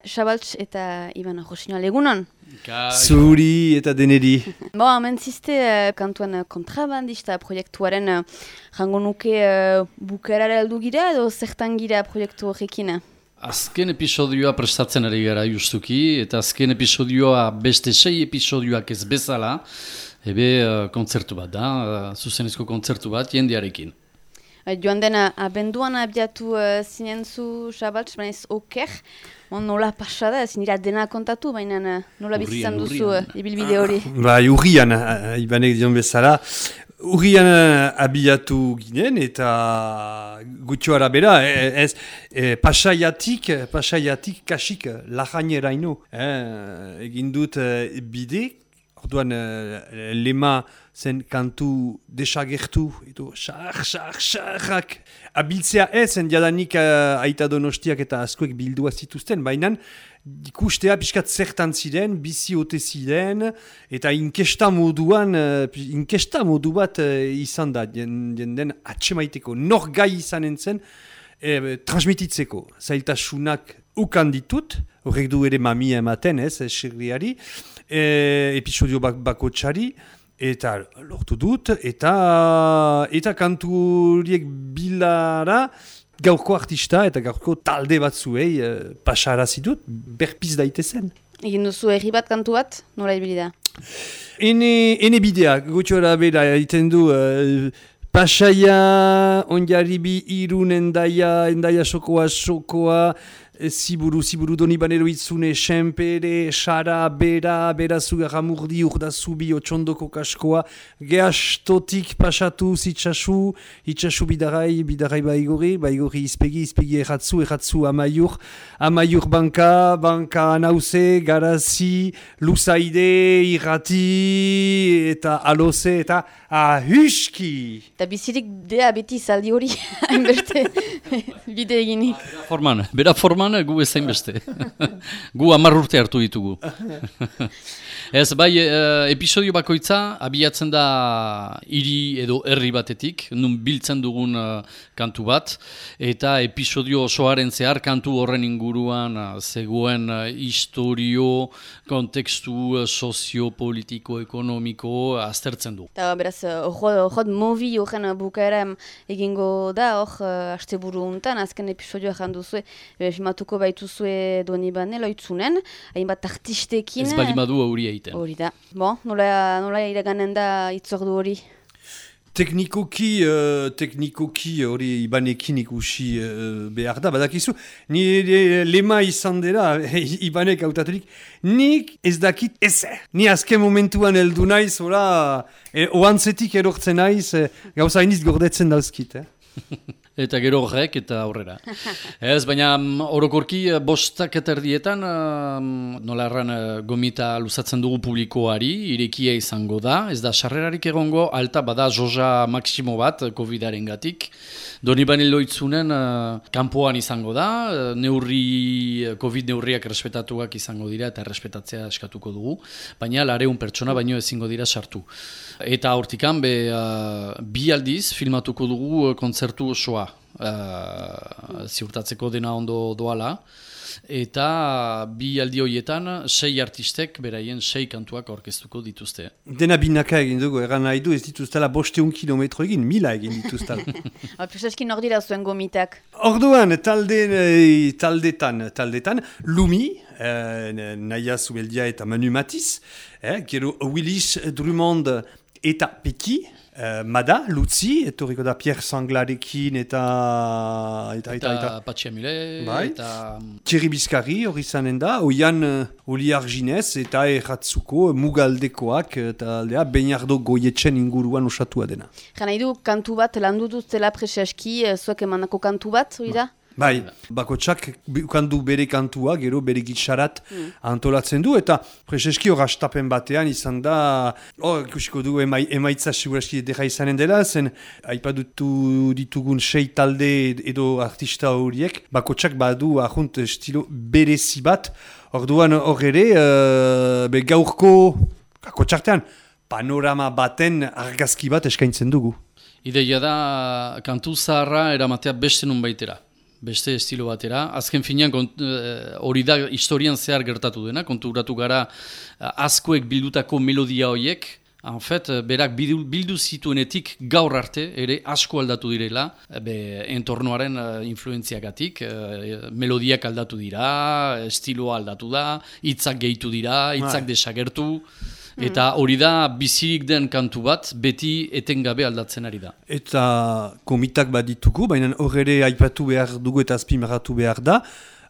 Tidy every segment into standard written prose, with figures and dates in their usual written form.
Xabaltz eta Iban Josinoa, egunon? Zuri eta deneri. Hemen ziste kantuan kontrabandista proiektuaren jango nuke bukerara heldu gira edo zertan gira proiektu horrekin? Azken episodioa prestatzen ari gara justuki, eta azken episodioa beste 6 episodioak ez bezala, kontzertu bat da, zuzenezko kontzertu bat jendearekin. Joan dena abenduan abiatu zinen zu Xabaltz, baina ez oker, nola pasada, ez nira dena kontatu, baina nola bizizan duzu ibilbide hori? Urrian, Ibanek dion bezala, urrian abiatu ginen eta gutxo arabera, pasaiatik kasik lajaineraino. Egin dut bide, orduan lema zen kantu desagertu, edo xarrak. Abiltzea zen jadanik aita Donostiak eta askoek bildua zituzten, baina ikustea pixkat zertan ziren, bizi ote ziren, eta inkesta modu bat izan da, jenden atsemaiteko, nor gai izanen zen, transmititzeko, zailtasunak ukan ditut, horrek du ere mamia ematen xerriari, episodio bakotxari, eta lortu dut, eta kanturiek bilara gaurko artista eta gaurko talde batzuei pasarazi dut, berpiz daitezen. Egin duzu herri bat kantu bat, nola ibili da? Ene bidea, gutxora bera, egiten du Pasaia, Onjarribi, Irun, Endaia sokoa, Ziburu, Doni Banero Itzune, Senpere, Sara, Bera Zugarramurdi, Urdazubi, Otxondoko kaskoa, Geastotik pasatu, itxasu bidarai baigori izpegi erratzu amaiur banka anauze, Garazi, Luzaide, Irrati, eta Aloze, eta Ahuski. Eta bizirik dea beti zaldi hori, hainbeste bide eginik. Bera forman, gu ezain beste. Gu 10 urte hartu ditugu. Ez, bai, episodio bakoitza abiatzen da hiri edo herri batetik, nun biltzen dugun kantu bat, eta episodio osoaren zehar kantu horren inguruan zegoen historio, kontekstu soziopolitiko, ekonomiko aztertzen du. Eta beraz, hor movi horren bukaera egingo da, hor asteburu untan, azken episodioa janduzue, filmatuko baituzue Doni Bane loitzunen, hainbat artistekin. Ez balimadu hori egiten. Hori da. Bon, nola iraganen da itzordu hori? Teknikoki hori Ibanekin ikusi behar da, badakizu, nire lema izan dela, Ibanek hautaturik, nik ez dakit ezer. Ni azken momentuan heldu naiz, oantzetik erortzen naiz, gauza iniz gordetzen dauzkit. Eta gero horrek eta aurrera. Ez, baina orokorki 5:00 nola erran gomita luzatzen dugu publikoari, irekia izango da, ez da sarrerarik egongo, alta bada joja maksimo bat COVID-aren gatik. Doni Bane loitzunen kanpoan izango da, COVID neurriak errespetatuak izango dira eta errespetatzea eskatuko dugu, baina 200 pertsona baino ezingo dira sartu. Eta hortikan, 2 aldiz filmatuko dugu kontzertu osoa. Ziurtatzeko dena ondo doala, eta 2 aldi horietan 6 artistek beraien 6 kantuak aurkeztuko dituzte. Dena binaka egin dugu, eran nahi du ez dituztela 500 kilometro egin, 1000 egin dituztela. Presaskin hor dira zuen gomitak? Orduan, taldetan, Lumi, Naia Zubeldia eta Manu Matiz, gero Willis Drummond eta Peki, Mada, Lutzi, etorriko da Pierre Sanglarekin eta Patxi Amule, eta Thierry Bizkarri hori zanen da, Oian Oli Arginez eta erratzuko Mugaldekoak eta aldea Beinardo Goietzen inguruan osatua dena. Jana idu kantu bat landu duztela preseski, zuek emandako kantu bat, hori da? Bai, bakotsak kandu bere kantua, gero bere gitsarat antolatzen du, eta preseski hor astapen batean izan da, ikusiko du emaitza seguraski edera izanen dela, zen aipadutu ditugun 6 talde edo artista horiek, bakotsak badu ahunt estilo berezi bat, orduan hor ere, gaurko bakotsartean panorama baten argazki bat eskaintzen dugu. Ideia da kantu zaharra eramatea beste nun baitera. beste estilo batera. Azken finean hori da historian zehar gertatu dena, konturatu gara askoek bildutako melodia horiek, en fait, berak bildu zituenetik gaur arte ere asko aldatu direla, entornoaren influenziagatik, melodiak aldatu dira, estiloa aldatu da, hitzak gehitu dira, hitzak desagertu, eta hori da bizirik den kantu bat, beti etengabe aldatzen ari da. Eta komitak bat ditugu, baina hor ere aipatu behar dugu eta azpimarratu behar da,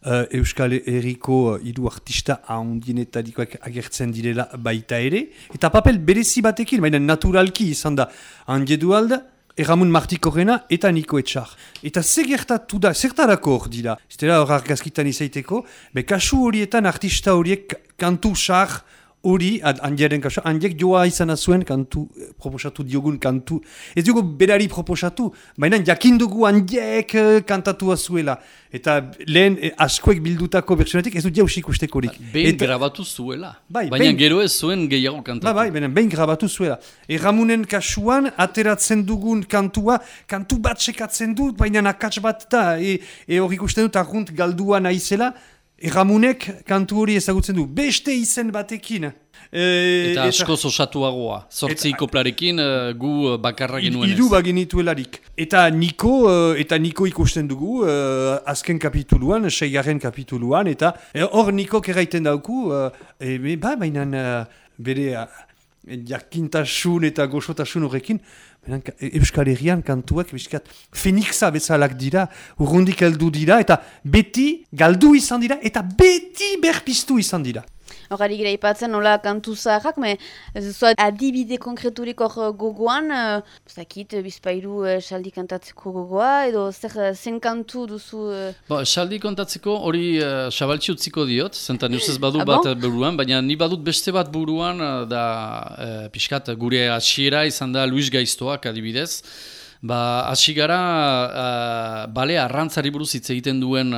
Euskal Herriko hiru artista handienetarikoak agertzen direla baita ere, eta papel berezi batekin, baina naturalki izan da Anje Dualde, Erramun Martikorrena eta Niko Etxar. Eta gertatu da, zertarako hor dira, ez dira hor argazkitan izaiteko, kasu horietan artista horiek kantu sar hori, Andiaren kasu, Andiek joa izan zuen kantu, proposatu diogun kantu, ez dugu berari proposatu, baina jakindugu Andiek kantatua zuela. Eta lehen askoek bildutako bertsionetik ez dut jausik ustekorik. Behin grabatu zuela, baina gero ez zuen gehiago kantatu. Behin grabatu zuela. Erramunen kasuan, ateratzen dugun kantua, kantu bat sekatzen dut, baina akats bat da, hor ikusten dut argunt galdua naizela, Erramunek kantu hori ezagutzen du, beste izen batekin. Eta askoz osatuagoa, 8 koplarekin gu bakarra genuenez. Hiru bagenituelarik. Eta Niko ikusten dugu, azken kapituluan, 6. kapituluan, eta hor Nikok erraiten dauku, baina bere jakintasun eta goxotasun horrekin, Euskal Herrian kantuak Fenixa bezalak dira, urrundik heldu dira, eta beti galdu izan dira, eta beti berpiztu izan dira. Horari gira ipatzen nola kantu zaharrak, adibide konkreturik hor gogoan, bizpairu saldi kantatzeko gogoa, edo zen kantu duzu... Saldi kantatzeko hori xabaltzi utziko diot, zentan usez badu bat buruan, baina ni badut beste bat buruan, da pixkat gure hasiera izan da Luis Gaiztoak adibidez, hasi gara bale arrantzari buruz hitz egiten duen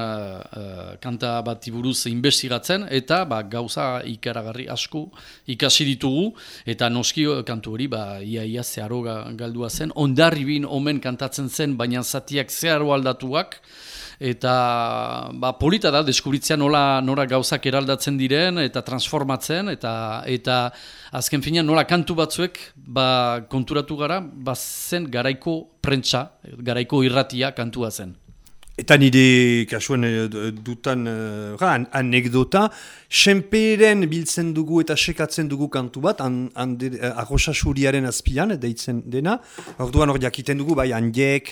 kanta bati buruz investigatzen eta gauza ikaragarri asko ikasi ditugu eta noski kantu hori ia zeharo galdua zen, Hondarribin omen kantatzen zen baina zatiak zeharo aldatuak eta polita da deskubritzea nora gauzak eraldatzen diren eta transformatzen eta azken finean nola kantu batzuek konturatu gara zen garaiko prentsa, garaiko irratia kantua zen. Eta nire kasuan dutan anekdota, senperen biltzen dugu eta sekatzen dugu kantu bat, arrosasuriaren azpian, deitzen dena, orduan hor jakiten dugu, Andiek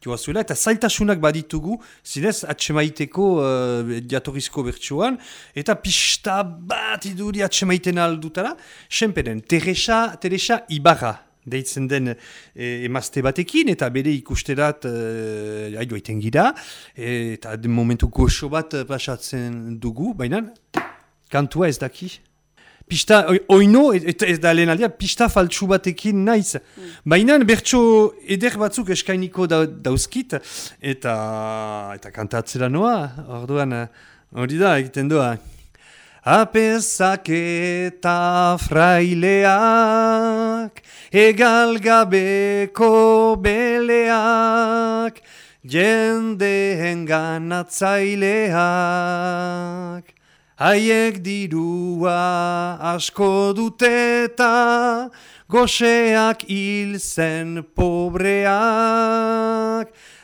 joa zuela, eta zailtasunak baditugu, zinez, atsemaiteko jatorrizko bertsoan, eta pista bat iduri atsemaiten aldutara, senperen, Teresa Ibarra, deitzen den emazte batekin, eta bere ikusterat joiten gira, eta momentu goxo bat pasatzen dugu, baina kantua ez daki. Pista, oino, ez da lehen aldea, pista faltsu batekin naiz. Baina bertso eder batzuk eskainiko dauzkit, eta kantatzera noa, orduan hori da, egiten doa. Apezak eta fraileak, egal gabeko beleak, jendeen ganatzaileak. Haiek dirua asko duteta, goxeak hil zen pobreak.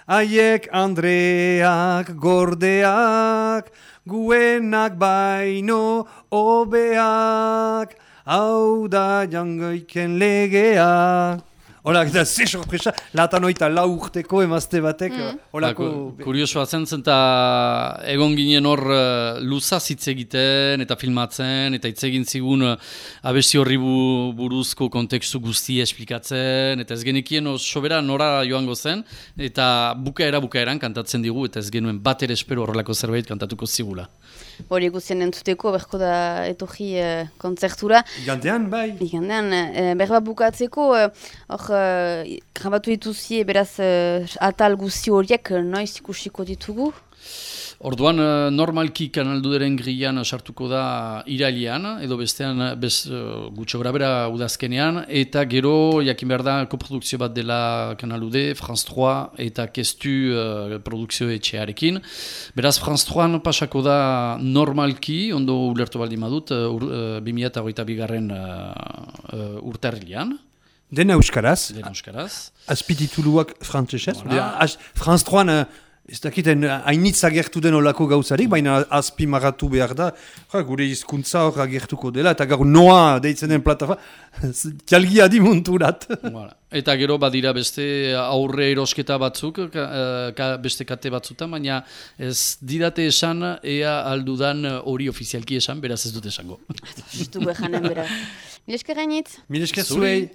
Haiek andreak gordeak, guenak baino obeak, hau da jangoiken legea. Hola, eta ze sorpresa, latan oita lau urteko emazte batek. Kuriosoa zen eta egon ginen hor luzaz hitz egiten eta filmatzen, eta hitz egin zigun abesti horri buruzko kontekstu guztia esplikatzen, eta ez genekien sobera nora joango zen, eta bukaeran kantatzen digu, eta ez genuen bat ere espero horrelako zerbait kantatuko zigula. Hori guztien entzuteko, berko da etorri kontzertura. Igandean, bai. Igandean, berba bukatzeko, grabatu dituzie, beraz, atal guzti horiek noiz ikusiko ditugu? Orduan, normalki kanalduderen grian sartuko da irailean, edo bestean gutxo grabera udazkenean, eta gero, jakin behar da, koprodukzio bat dela kanalude, France 3 eta Kestu produkzio etxearekin. Beraz, France 3 pasako da normalki, ondo ulertu baldin badut, 2022 urtarrilean. Dena euskaraz. Dena euskaraz. Azpitituluak frantzesez. Voilà. France 3 ez dakiten hainitz agertu den olako gauzarik, baina azpimarratu behar da, gure hizkuntza hor agertuko dela, eta gaur noa deitzen den plataforma, jalgia di munturat. Voilà. Eta gero badira beste aurre erosketa batzuk, beste kate batzutan, baina ez didate esan ea aldudan hori ofizialki esan, beraz ez dut esango. Justu janen bera. Milesker gainitz. Milesker zuei.